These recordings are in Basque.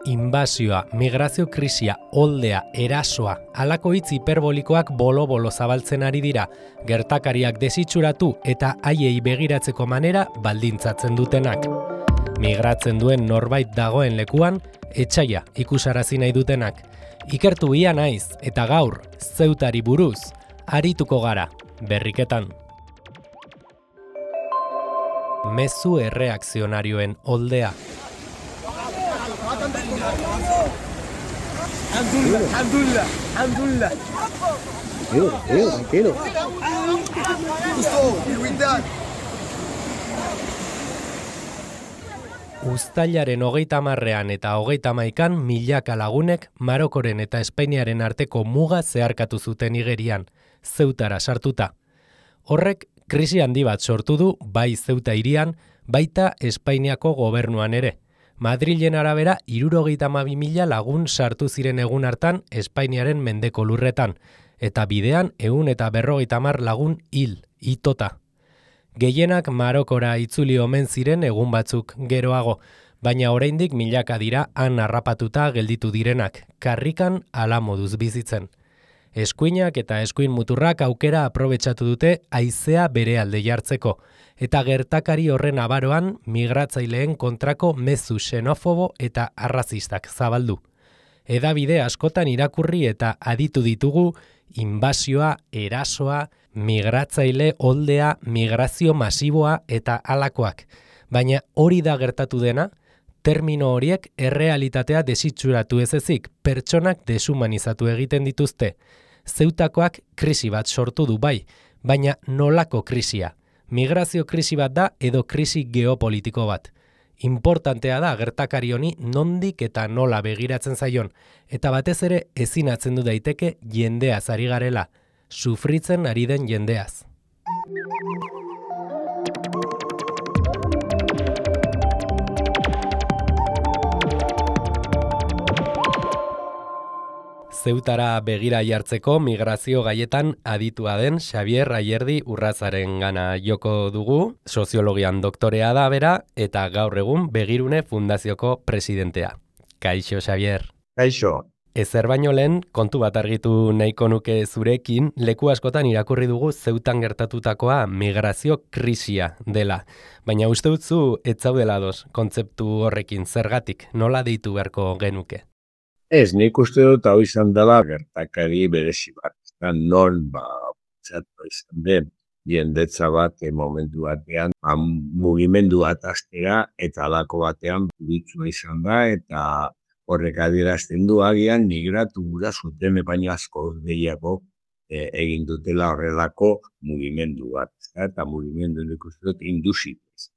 Inbasioa, migrazio krisia, oldea, erasoa, halako hitz hiperbolikoak bolo-bolo zabaltzen ari dira, gertakariak desitxuratu eta haiei begiratzeko manera baldintzatzen dutenak. Migratzen duen norbait dagoen lekuan, etsaia ikusarazi nahi dutenak. Ikertu ia naiz eta gaur, Zeutari buruz, arituko gara, berriketan. Mezu erreakzionarioen oldea. Alhamdulillah. Tranquilo. Uztailaren 30ean eta 31ean milaka lagunek Marokoren eta Espainiaren arteko muga zeharkatu zuten igerian, Zeutara sartuta. Horrek krisi handi bat sortu du bai Zeuta hirian, baita Espainiako gobernuan ere. Madrilen arabera 72.000 lagun sartu ziren egun hartan Espainiaren mendeko lurretan, eta bidean 150 lagun itota. Gehienak Marokora itzuli omen ziren egun batzuk geroago, baina oraindik milaka dira han harrapatuta gelditu direnak, karrikan hala moduz bizitzen. Eskuinak eta eskuin muturrak aukera aprobetxatu dute haizea bere alde jartzeko, eta gertakari horren abaroan migratzaileen kontrako mezu xenofobo eta arrazistak zabaldu. Hedabide askotan irakurri eta aditu ditugu inbasioa, erasoa, migratzaile oldea, migrazio masiboa eta halakoak. Baina hori da gertatu dena, termino horiek errealitatea desitxuratu ez ezik, pertsonak deshumanizatu egiten dituzte. Zeutakoak krisi bat sortu du bai, baina nolako krisia? Migrazio krisi bat da edo krisi geopolitiko bat. Importantea da gertakari honi nondik eta nola begiratzen zaion, eta batez ere ezin atzendu daiteke jendeaz ari garela, sufritzen ari den jendeaz. Zeutara begira jartzeko migrazio gaietan aditua den Xabier Ayerdi Urrazaren gana joko dugu, soziologian doktorea da bera eta gaur egun Begirune Fundazioko presidentea. Kaixo, Xabier. Kaixo. Ezer baino lehen, kontu bat argitu nahiko nuke zurekin, leku askotan irakurri dugu Zeutan gertatutakoa migrazio krisia dela. Baina uste dutzu ez zaudela ados kontzeptu horrekin, zergatik, nola deitu beharko genuke? Ez, nik uste dut hau izan dela gertakari berezi bat. Non, zatu izan den, jendetza bat momentu batean, mugimendu bat aztera eta alako batean buritsua izan da, eta horrek adierazten du agian migratu gura zuten baino asko gehiago egin dutela horrelako mugimendu bat. Eta mugimendu nik uste dut induzitez.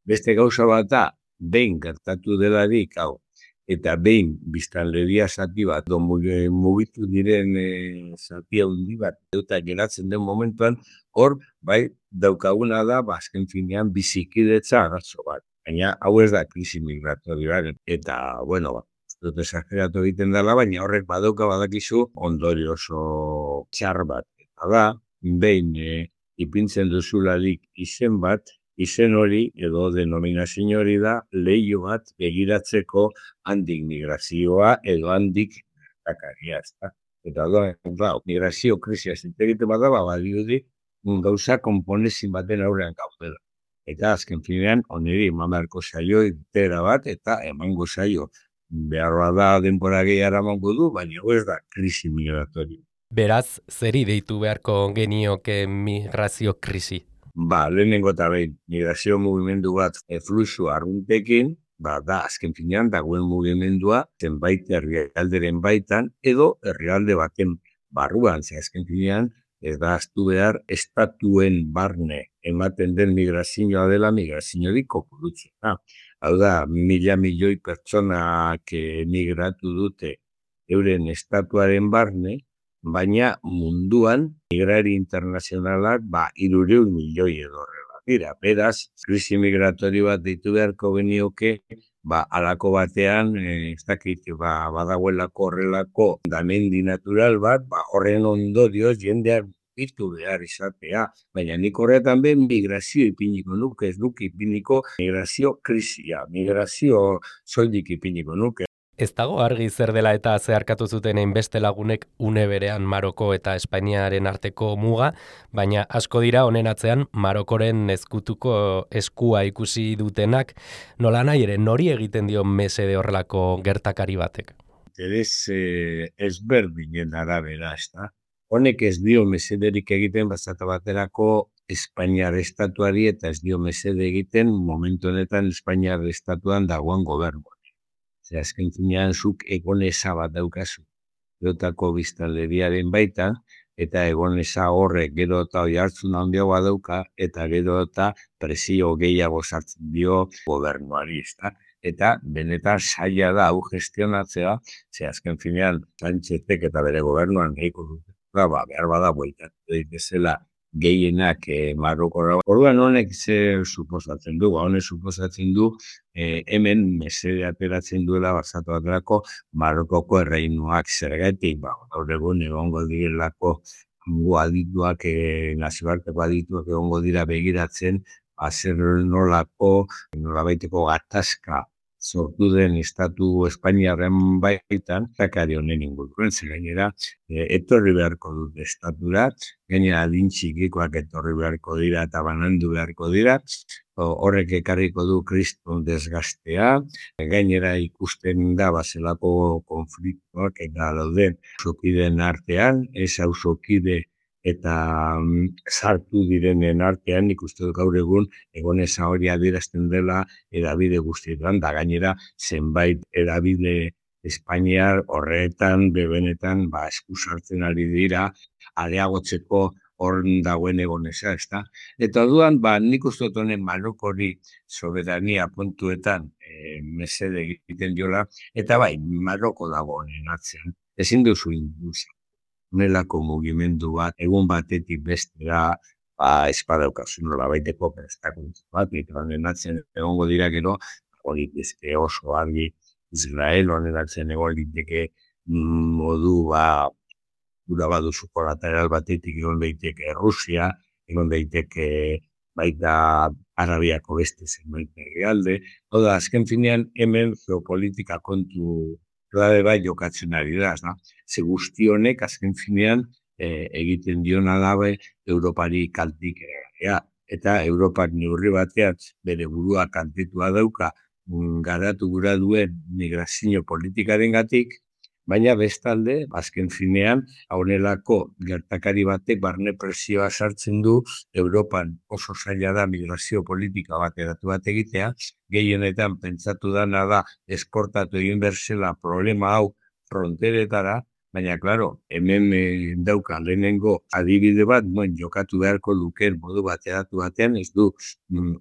Beste gauza bat da, behin gertatu delarik, hau, eta behin biztanleria zati bat, mugitu diren zati handi bat, eta geratzen den momentuan, hor, bai, daukaguna da, azken finean bizikidetza arazo bat. Baina, hau ez da krisi migratorioaren. Eta, bueno, dut esageratu egiten dela, baina horrek badakizu ondorio oso txar bat. Eta da, behin ipintzen duzularik izen bat, izen hori edo denominazio hori da leiho bat begiratzeko handik migrazioa edo handik gertakaria. Eta da, migrazio krisia zintegiten bat da, badiudi gauza konponezin baten aurrean gaudela. Eta azken finean, oneri eman beharko zaio irtera bat eta emango zaio. Beharra da denbora gehiara emango du, baina ez da krisi migratorio. Beraz, zeri deitu beharko genioke migrazio krisi? Lehenengo eta behin, migrazio mugimendu bat fluxu arruntekin, da azken finean dagoen mugimendua zenbait herrialderen baitan edo herrialde baten barruan, azken finean ez da ahaztu behar estatuen barne ematen den migrazioa dela migraziorik kopurutzena. Hau da, 1.000 milioi pertsonak migratu dute euren estatuaren barne, baina munduan migrari internazionalak 300 milioi edo horrela dira. Beraz, krisi migratorio bat deitu beharko genioke, halako batean, ez dakit, badagoelako horrelako damendi natural bat, horren ondorioz jendeak mugitu behar izatea. Baina nik horretan ben migrazio ipiniko nuke, ez nuke ipiniko migrazio krisia, migrazio soilik ipiniko nuke. Ez dago argi zer dela eta zeharkatu zuten hainbeste lagunek une berean Maroko eta Espainiaren arteko muga, baina asko dira honen atzean Marokoren ezkutuko eskua ikusi dutenak, nolanahi ere nori egiten dio mesede horrelako gertakari batek. Interes ezberdinen arabera, ezta? Honek ez dio mesederik egiten bazata baterako Espainiar estatuari eta ez dio mesede egiten momentu honetan Espainiar estatuan dagoen gobernuan. Zer, azken finean zuk egoneza bat daukazu. Gerotako biztanleriaren baitan, eta egoneza horrek gero eta oihartzun handiagoa dauka, eta gero eta presio gehiago sartzen dio gobernuari, ezta? Eta benetan zaila da hau gestionatzea, ze azken finean Sánchezek eta bere gobernuan nahiko dute, behar bada bueltatu daitezela gehienak Marokora. Orduan honek ze suposatzen du? Honek suposatzen du hemen mesede ateratzen duela basatu baterako Marokoko erreinuak zergatik, gaur egun egongo direlako adituak, nazioarteko adituak egongo dira begiratzen, zer nolabaiteko gatazka sortu den estatu Espainiarren baitan, zakari honen inguruan, zer gainera, etorri beharko dut estaturat, gainera adin txikikoak etorri beharko dira eta banandu beharko dira, horrek ekarriko du kriston desgastea, gainera ikusten da bazelako konfliktoak eta dauden auzokideen artean, ez auzokide eta sartu direnen artean, ikuste dut gaur egun egoneza hori adierazten dela edabide guztietan, da gainera zenbait edabide Espainiar horretan, bebenetan, esku sartzen ari dira, areagotzeko hor dagoen egoneza, ezta? Eta orduan, nik uste dut honen Marokori soberania puntuetan mesede egiten diola, eta Maroko dago honen atzean. Ezin duzu induzio. Honelako mugimendu bat, egun batetik bestera, espadaukazu nolabaiteko prestakuntza bat, eta honen atzen egongo dira gero, hori bezke oso argi Israel, honen atzen egon liteke modu gura baduzu kolateral batetik egon daiteke Rusia, egon daiteke baita Arabiako beste zenbait herrialde. Hau da, azken finean hemen geopolitika kontu klabe bai jokatzen ari da, ze guzti honek azken finean egiten diona dabe Europari kaltik eta Europak neurri batean bere burua kaltetua dauka garatu gura duen migrazio politikarengatik, baina bestalde, azken finean, honelako gertakari batek barne presioa sartzen du Europan oso zaila da migrazio politika bat eratu bat egitea, gehienetan pentsatu dana da esportatu egin berzela problema hau fronteretara, baina, klaro, hemen dauka lehenengo adibide bat, jokatu beharko luken modu bateratu batean, ez du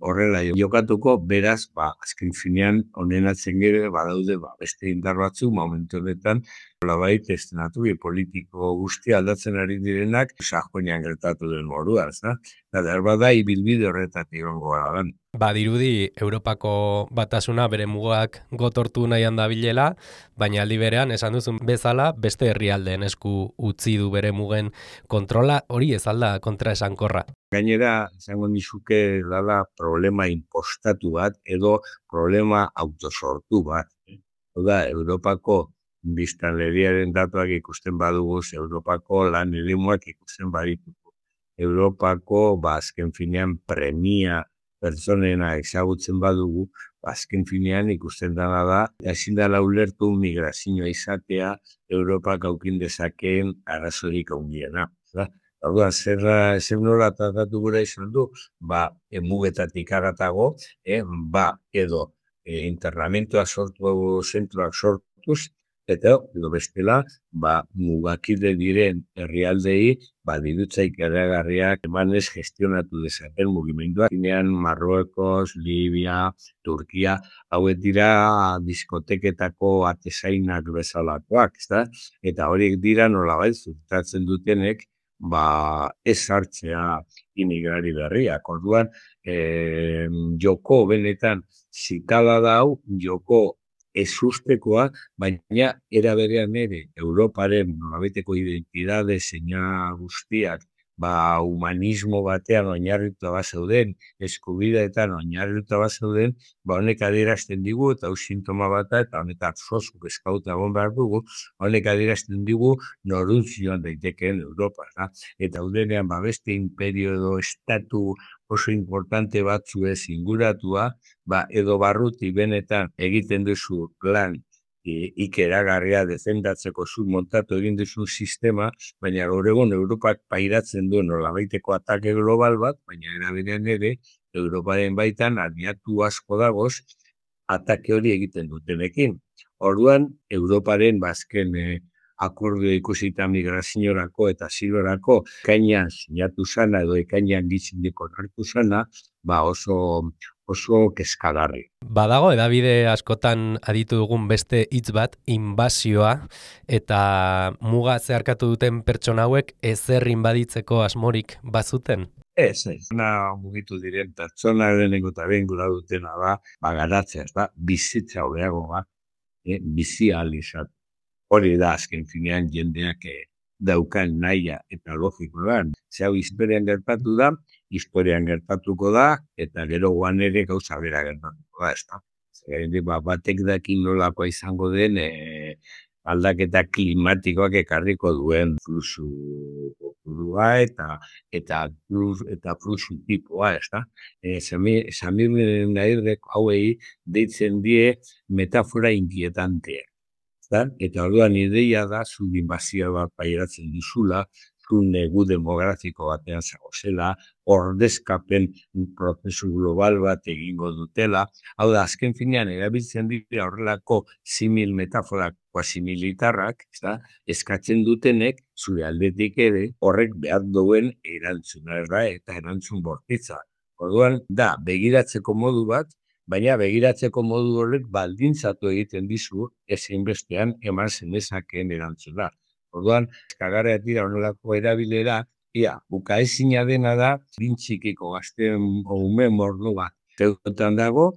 horrela jokatuko, beraz, azken finean, honen atzen gero, badaude, beste indar batzu, momentu honetan, nolabait estenatu politiko guztia aldatzen ari direnak, Sajoinean gertatu den moduan, eta bada ibilbide horretatik egongo gara. Badirudi Europako batasuna bere mugak gotortu nahian dabilela, baina aldi berean esan duzun bezala beste herrialdeen esku utzi du bere mugen kontrola, hori ez alda kontra esankorra. Gainera, izango nizuke dala problema impostatu bat edo problema autosortu bat. Hau da, Europako biztanleriaren datuak ikusten badugu, Europako lan eremuak ikusten baditugu. Europako, azken finean, premia pertsonena ezagutzen badugu, azken finean ikusten dana da, ezin dela ulertu migrazioa izatea Europak aukin dezakeen arazorik handiena. Orduan, zer nola tratatu gura izan du, mugetatik aratago, edo internamentoa sortu, zentroak sortuz, eta edo bestela, mugakide diren herrialdei, dirutzaik eragarriak emanez gestionatu dezaten mugimenduak. Ginean Marruekos, Libia, Turkia, hauek dira diskoteketako atezainak bezalakoak, eta horiek dira nolabait zutatzen dutenek, ez hartzea imigrari berriak. Orduan, joko benetan zikala da hau, joko ez ustekoa, baina era berean ere Europaren nolabaiteko identidade, seina guztiak humanismo batean oinarrituta bazeuden, eskubideetan oinarrituta bazeuden, honek adierazten digu, eta hau sintoma bata, eta honetan sozu eskauta egon behar dugu, honek adierazten digu noruntz joan daitekeen Europa. Eta udenean beste imperio edo estatu oso importante batzu ez inguratua, edo barruti benetan egiten duzu lan ikeragarria defendatzeko zu montatu egin duzu sistema, baina gaur egun Europak pairatzen du nolabaiteko atake global bat, baina eraberean ere, Europaren baitan aliatu asko dagoz, atake hori egiten dutenekin. Orduan, Europaren bazken akordio ikusita migraziorako eta asilorako ekainean sinatu zana edo ekainean gitzindiko nartu zana, oso keskagarri. Badago, edabide askotan aditu dugun beste hitz bat, inbasioa, eta muga zeharkatu duten pertsona hauek ezer inbaditzeko asmorik bazuten? Ez. Mugitu diren pertsona lehenengo eta behin gura dutena garatzea, bizitza hobeago bizi ahal izan. Hori da, azken finean jendeak daukan nahia eta logikoa. Hau historian gertatu da, historian gertatuko da, eta gero guan ere gauza bera gertatuko da. Batek dakin nolakoa izango den aldaketa klimatikoak ekarriko duen fluxu kopurua eta fluxu tipoa, Samir Nairrek hauei deitzen die metafora inkietantea. Eta orduan ideia da, zu inbazioa bat pairatzen duzula, zu negu demografiko batean zagozela, ordezkapen prozesu global bat egingo dutela. Hau da, azken finean, erabiltzen dira horrelako simil metaforak, quasi-militarrak, eskatzen dutenek, zure aldetik ere, horrek behar duen erantzuna eta erantzun bortitza. Orduan, da, begiratzeko modu bat, baina begiratzeko modu horrek baldintzatu egiten dizu ezinbestean eman zenezakeen erantzuna. Orduan, kagarreak dira honelako erabilera, bukaezina dena da, bintxikiko gazten ume mordo bat. Zeutan dago,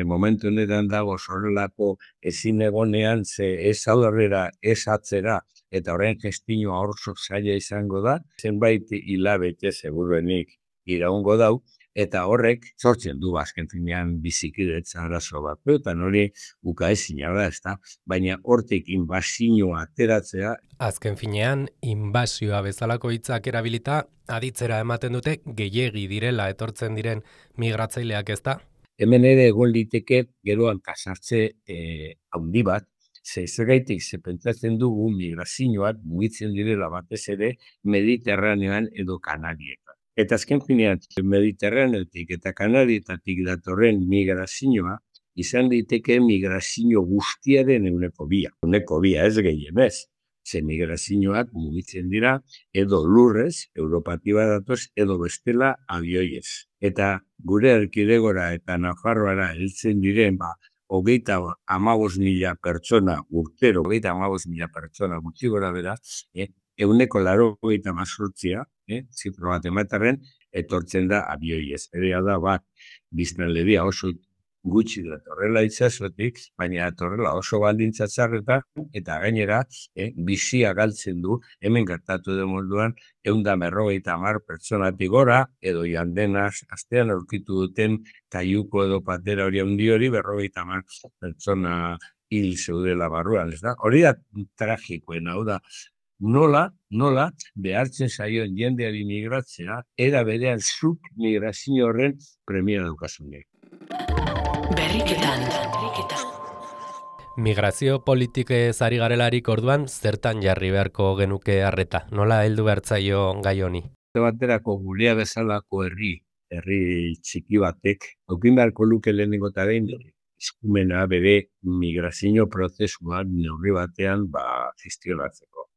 momentu honetan dago zorrelako ezin egonean ez aurrera, ez atzera, eta horren gestinoa orso zaila izango da, zenbait hilabete seguruenik iraungo dau, eta horrek sortzen du azken finean bizikidetza arazo bat. Eta hori bukaezina da, baina hortik inbazioa ateratzea. Azken finean, inbasioa bezalako hitzak erabilita, aditzera ematen dute gehiegi direla etortzen diren migratzaileak, ezta? Hemen ere egon liteke geroan kasartze handi bat, zergaitik pentsatzen dugu migrazioak mugitzen direla batez ere Mediterraneoan edo Kanarietan. Eta azken finean, Mediterraneotik eta Kanarietatik datorren migrazioa izan diteke migrazio guztiaren euneko bia. Euneko bia ez gehienez. Ze migrazioak mugitzen dira edo lurrez, Europatiba datoz, edo bestela abioiez. Eta gure erkidegora eta Nafarroara heltzen diren, 35.000 pertsona urtero, 35.000 pertsona gutxi gora bera, euneko 98, zifro bat ematarren, etortzen da abioiez. Erea da biztanleria oso gutxi datorrela itsasotik, baina datorrela oso baldintza txarretan, eta gainera, bizia galtzen du, hemen gertatu den moduan, 150 pertsonatik gora, edo jandenaz, astean aurkitu duten kaiuko edo patera hori handi hori, 50 pertsona hil zeudela barruan, ez da? Hori da tragikoen, hau da, nola behartzen zaion jendeari migratzea, era berean zuk migrazio horren premia daukasunek. Migrazio politikez ari garelarik orduan, zertan jarri beharko genuke harreta? Nola heldu behartzaio gai honi? Baterako gurea bezalako herri txiki batek, aukin beharko luke lehenengo eta behin, eskumena bere migrazio prozesuan neurri batean gestionatzeko.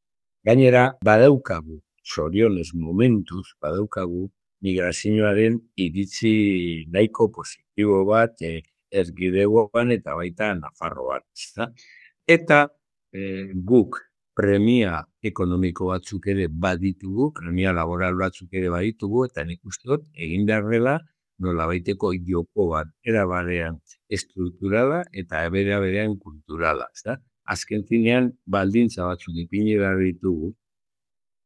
Gainera, badaukagu, zorionez momentuz, badaukagu migrazioaren iritzi nahiko positibo bat erkidegoan eta baita Nafarroan. Eta guk premia ekonomiko batzuk ere baditugu, premia laboral batzuk ere baditugu, eta nik uste dut egin beharrela nolabaiteko joko bat erabarean estrukturala eta berean kulturala. Azken finean baldintza batzuk ipini behar ditugu,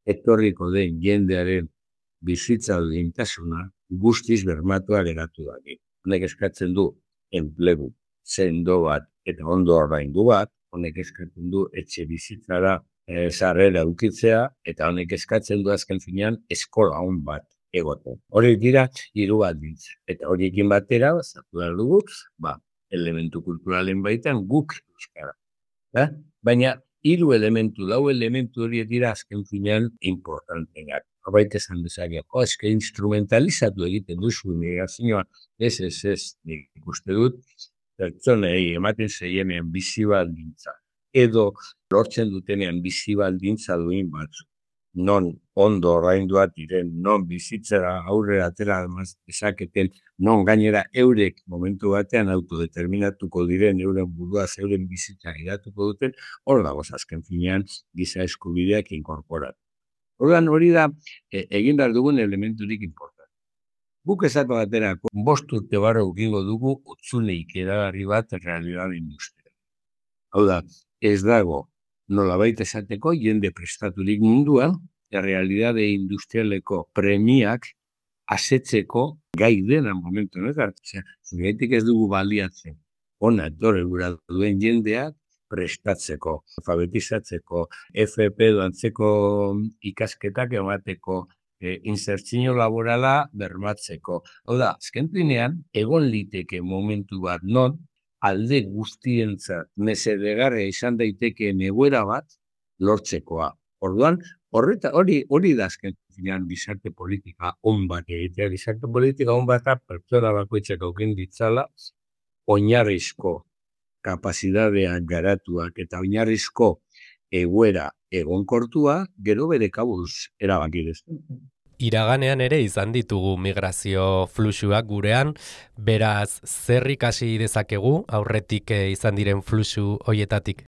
etorriko den jendearen bizitza duintasuna guztiz bermatua geratu da. Honek eskatzen du enplegu sendo bat eta ondo ordaindu bat, honek eskatzen du etxe bizitzara sarrera edukitzea, eta honek eskatzen du azken finean eskola on bat egoten. Horiek dira hiru baldintza. Eta horiekin batera, zatu behar dugu, elementu kulturalen baitan guk euskara. Baina hiru elementu, lau elementu horiek dira azken finean importanteak. Horbait esan dezake, eske instrumentalizatu egiten duzu negazioa, ez, nik ikuste dut, pertsonei ematen zeienean bizi baldintza, edo lortzen dutenean bizi baldintza duin batzu, non ondo ordainduak diren, non bizitzera aurrera atera dezaketen, non gainera eurek momentu batean autodeterminatuko diren, euren buruaz, euren bizitza gidatuko duten, hor dagoz azken finean giza eskubideak inkorporatu. Orduan hori da egin behar dugun elementurik important. Guk esatu baterako 5 urte barra ukingo dugu utzuneik eragarri bat realidade industrial. Hau da, ez dago nolabait esateko jende prestaturik munduan, realidade industrialeko premiak asetzeko gai dena momentu honetan. Zugaitik ez dugu baliatzen. Ona etorri gura duen jendeak prestatzeko, alfabetizatzeko, FP doantzeko ikasketak emateko, insertzio laborala bermatzeko. Hau da, azken finean, egon liteke momentu bat non, alde guztientzat mesedegarria izan daitekeen egoera bat lortzekoa. Orduan, hori da azken finean gizarte politika on bat egitea. Gizarte politika on bat pertsona bakoitzak aukin ditzala, oinarrizko kapazitatean garatuak eta oinarrizko egoera egonkortua, gero bere kabuz erabakidez. Iraganean ere izan ditugu migrazio fluxuak gurean, beraz zer ikasi dezakegu aurretik izan diren fluxu hoietatik?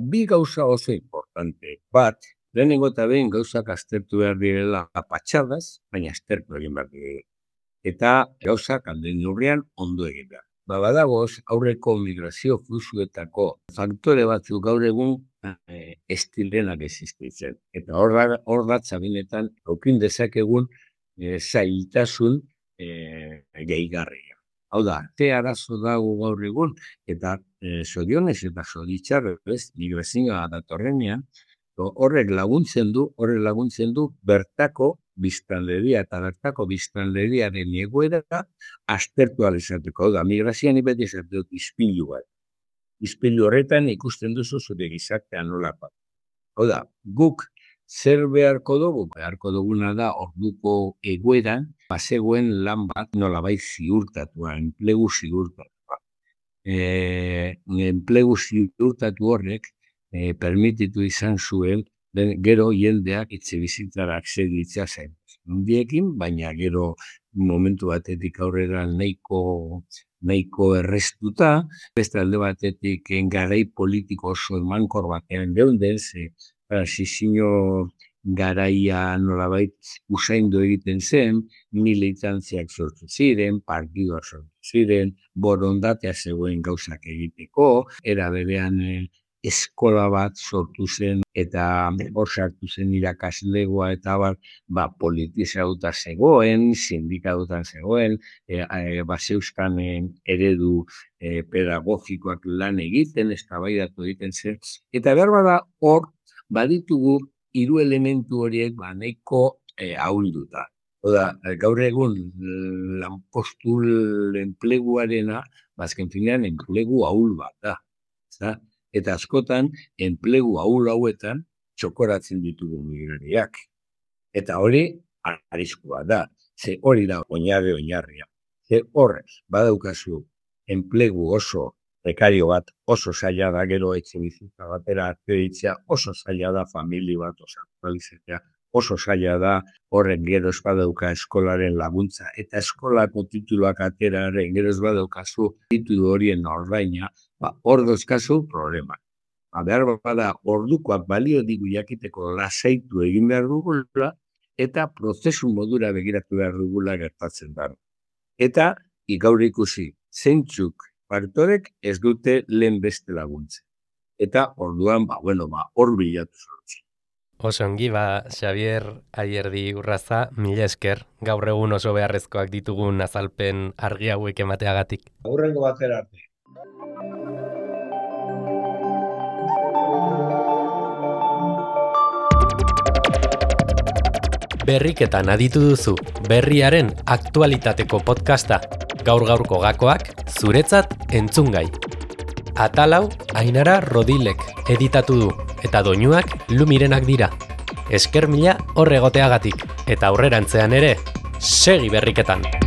Bi gauza oso importante. Bat, lehenengo eta behin gauzak aztertu behar direla patxadaz, baina aztertu egin behar direla. Eta gauzak alden neurrian ondo egin behar. Badagoz, aurreko migrazio fluxuetako faktore batzuk gaur egun estilenak existitzen. Eta hor da txabinetan aukin dezakegun zailtasun gehigarria. Hau da, arazo dago gaur egun, eta zorionez eta zoritxarrez migrazioa datorrenean, horrek laguntzen du bertako biztanleria eta bertako biztanleriaren egoera aztertu alizateko. Hau da, migrazioan beti esatu dut izpilu bat. Izpilu horretan ikusten duzu zure gizartean nolakoa. Hau da, guk zer beharko dugu? Beharko duguna da orduko egoeran bazegoen lan bat nolabait ziurtatua, enplegu ziurtatua. Enplegu ziurtatu horrek permititu izan zuen gero jendeak etxebizitzara akzeditzea zen. Hundiekin, baina gero momentu batetik aurrera nahiko errestuta, beste alde batetik garai politiko oso emankor batean geunden, transizio garaia nolabait usaindu egiten zen, militantziak sortu ziren, partidoak sortu ziren, borondatea zegoen gauzak egiteko, era berean eskola bat sortu zen eta hor sartu zen irakaslegoa eta politizauta zegoen, sindikatutan zegoen, bazeuskan eredu pedagogikoak lan egiten, eztabaidatu egiten zen. Eta behar bada hor baditugu 3 elementu horiek nahiko ahulduta. Oda, gaur egun lanpostu enpleguarena, azken finean enplegu ahul bat da. Eta askotan, enplegu ahul hauetan txokoratzen ditugu migrariak. Eta hori, arriskua da. Ze hori da oinarria. Ze horrez, badaukazu enplegu oso prekario bat, oso zaila da, gero etxe bizitza batera akreditzea, oso zaila da famili bat osatualizatzea, oso zaila da horren gero ez badauka eskolaren laguntza, eta eskolako tituluak ateraren gero ez badaukazu titulu horien ordaina, hor dozkazu problema. Behar bada ordukoak balio digu jakiteko lasaitu egin behar dugula, eta prozesu modura begiratu behar dugula gertatzen da. Eta gaur ikusi, zeintzuk faktorek ez dute lehen beste laguntze. Eta orduan, hor bilatu zortzi. Oso ongi, Xabier Ayerdi Urraza, mila esker, gaur egun oso beharrezkoak ditugun azalpen argi hauek emateagatik. Aurrengo batera arte. Berriketan aditu duzu, berriaren aktualitateko podcasta, gaur-gaurko gakoak, zuretzat entzungai. Atalau, Ainara Rodilek editatu du, eta doinuak Lumirenak dira. Esker mila horregoteagatik, eta aurrerantzean ere, segi berriketan!